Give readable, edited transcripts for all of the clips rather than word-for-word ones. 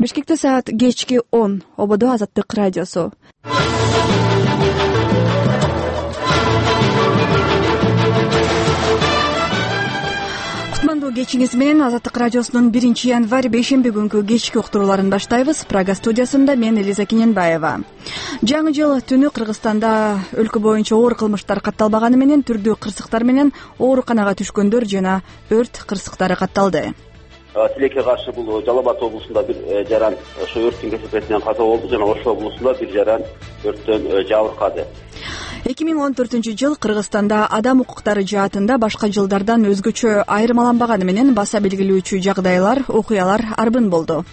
Бишкекте саат кечки 10. Ободо Азаттык радиосу. Кутмандуу кечиңиз менен Азаттык радиосунун 1-январь бейшемби күнкү кечки уктурууларын баштайбыз. Прага студиясында мен Элиза Кененбаева. Жаңы жыл түнү Кыргызстанда өлкө боюнча оор кылмыштар катталбаганы менен түрдүү кырсыктар менен ооруканага түшкөндөр жана өрт кырсыктары катталды. Тилекке каршы бул Жалал Абад облусунда бир жаран ошо өрттүн кесепетинен каза болду жана Ош облусунда бир жаран өрттөн жабыркады. 2014-жыл Кыргызстанда адам укуктары жаатында башка жылдардан өзгөчө айырмаланбаганы менен баса белгилүүчү жагдайлар, окуялар арбын болду.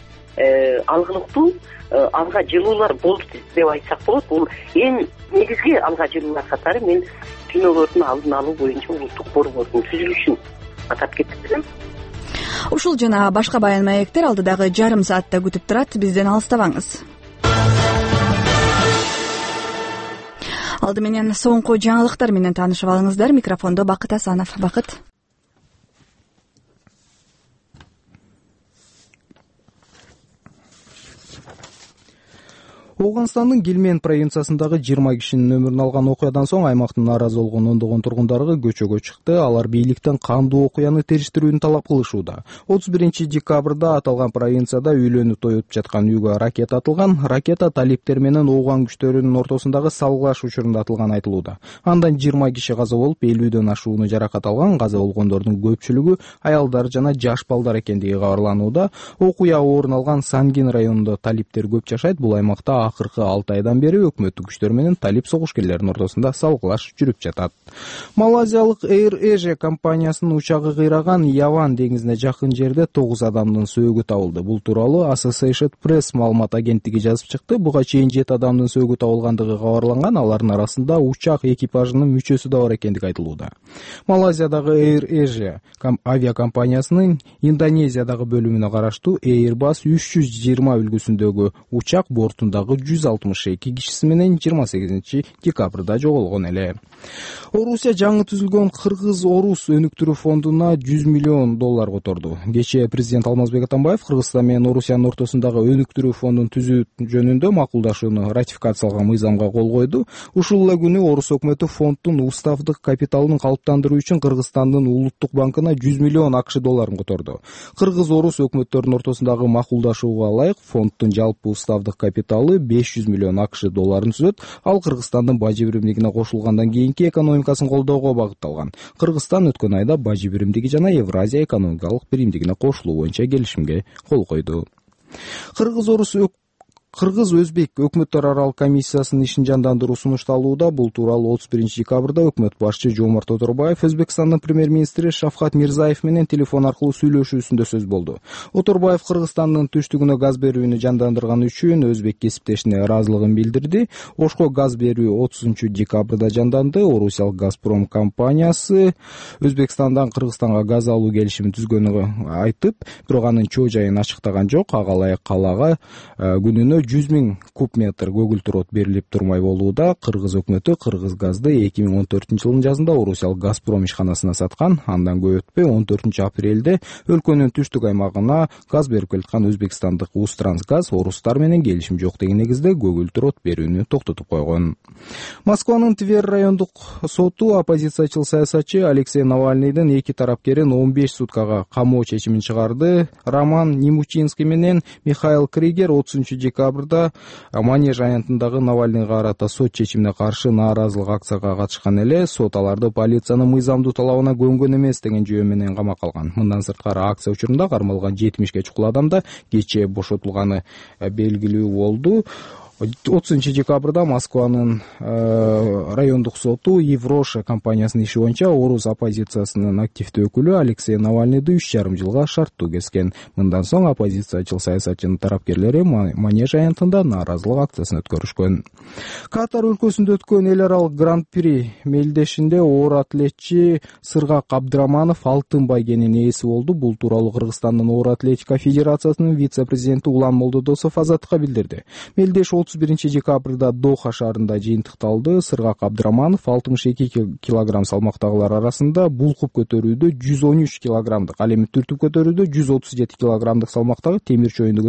Алгылыктуу алга жылуулар болду деп айтсак болот. Бул эң негизги алга жылуулар катары мен күнөөлөрдүн алдын алуу боюнча улуттук борбордун түзүлүшүн атап кетип. Ушул жана башка баян маектер алдыдагы жарым саатта күтүп турат. Бизден алыстабаңыз. Алды менен соңку жаңылыктар менен таанышып алыңыздар. Микрофондо Бакыт Асанов. Бакыт. Ооганстандын Гилмен провинциясындагы 20 кишинин өмүрүн алган окуядан соң аймактын нааразы болгон ондогон тургундары көчөгө чыкты. Алар бийликтен кандуу окуяны териштирүүнү талап кылышууда. 31-декабрда аталган провинцияда үйлөнүү той өтүп жаткан үйгө ракета атылган. Ракета талиптер менен ооган күчтөрүнүн ортосундагы салгылаш учурунда атылган айтылууда. Андан 20 киши каза болуп, 50дөн ашууну жаракат алган. Каза болгондордун көпчүлүгү аялдар жана жаш балдар экендиги кабарланууда. Окуя орун алган Сангин районунда талиптер көп жашайт. Бул аймакта акыркы 6 айдан бери өкмөттүк күчтөр менен талип согушкерлердин ортосунда салгылаш жүрүп жатат. Малайзиялык Air Asia компаниясынын учагы кыйраган Яван деңизине жакын жерде 9 адамдын сөөгү табылды. Бул тууралуу Associated Press маалымат агенттиги жазып чыкты. Буга чейин 7 адамдын сөөгү табылгандыгы кабарланган. Алардын арасында учак экипажынын мүчөсү да бар экендиги айтылууда. Малайзиядагы Air Asia авиакомпаниясынын Индонезиядагы бөлүмүнө караштуу Airbus 320 үлгүсүндөгү учак бортундагы 162 кишиси менен 28-декабрда жоголгон эле. Орусия жаңы түзүлгөн Кыргыз-Орус өнүктүрүү фондуна $100 миллион которду. Кечээ президент Алмазбек Атамбаев Кыргызстан менен Орусиянын ортосундагы өнүктүрүү фондун түзүү жөнүндө макулдашууну ратификациялаган мыйзамга кол койду. Ушул эле күнү Орус өкмөтү фонддун уставдык капиталын калыптандыруу үчүн Кыргызстандын улуттук банкына $100 миллион которду. Кыргыз-Орус өкмөттөрүнүн ортосундагы макулдашууга ылайык фонддун жалпы уставдык капиталы $500 миллион түзөт. Ал Кыргызстандын бажы биримдигине кошулгандан кийинки экономикасын колдоого багытталган. Кыргызстан өткөн айда бажы биримдиги жана Евразия экономикалык биримдигине кошулуу боюнча келишимге кол койду. Кыргыз-Өзбек өкмөттөр аралык комиссиясынын ишин жандандыруу сунушталууда. Бул тууралуу 31-декабрда өкмөт башчы Жомарт Оторбаев Өзбекстандын премьер-министри Шавкат Мирзаев менен телефон аркылуу сүйлөшүүсүндө сөз болду. Оторбаев Кыргызстандын түштүгүнө газ берүүнү жандандырган үчүн өзбек кесиптешине ыраазылыгын билдирди. Ошко газ берүү 30-декабрда жанданды. Орусиялык Газпром компаниясы Өзбекстандан Кыргызстанга газ алуу келишимин түзгөнүн айтып, бирок анын чоо жайын ачыктаган жок. Ага ылайык калаага күнүнө 100 000 куб метр көгүлтүр от берилип турмай болууда. Кыргыз өкмөтү Кыргыз газды 2014-жылдын жазында Орусиялык Газпром ишканасына саткан. Андан көп өтпөй 14-апрелде өлкөнүн түштүк аймагына газ берип келаткан өзбекстандык Усттрансгаз орустар менен келишим жок деген негизде көгүлтүр от берүүнү токтотуп койгон. Москванын Тверь райондук соту оппозициячыл саясатчы Алексей Навальныйдын эки тарапкерин 15 суткага камоо чечимин чыгарды. Роман Немучинский менен Михаил Кригер 30-декабрда Манеж аянтындагы Навальныйга карата сот чечимине каршы нааразылык акцияга катышкан эле. Сот аларды полициянын мыйзамдуу талабына көнгөн эмес деген жөө менен камакка алган. Мындан сырткары акция учурунда кармалган 70ге чукул адам да кечээ бошотулганы белгилүү болду. 30-декабрда Москванын райондук соту Евроша компаниясынын иши боюнча орус оппозициясынын активдүү өкүлү Алексей Навальныйды 3,5 жылга шарттуу кескен. Мындан соң оппозициячыл саясатчынын тарапкерлери Манеж аянтында нааразылык акциясын өткөрүшкөн. Катар өлкөсүндө өткөн эл аралык гран-при мелдешинде оор атлетчи Сыргак Абдыраманов алтын байгенин ээси болду. Бул тууралуу Кыргызстандын оор атлетика федерациясынын вице-президенти Улан Молдодосов Азаттыкка билдирди. Мелдеш 31-декабрда Доха шаарында жыйынтыкталды. Сыргак Абдыраманов 62 килограмм салмактагылар арасында булкуп көтөрүүдө 113 килограммдык, ал эми түртүп көтөрүүдө 137 килограммдык салмактагы темир чоюнду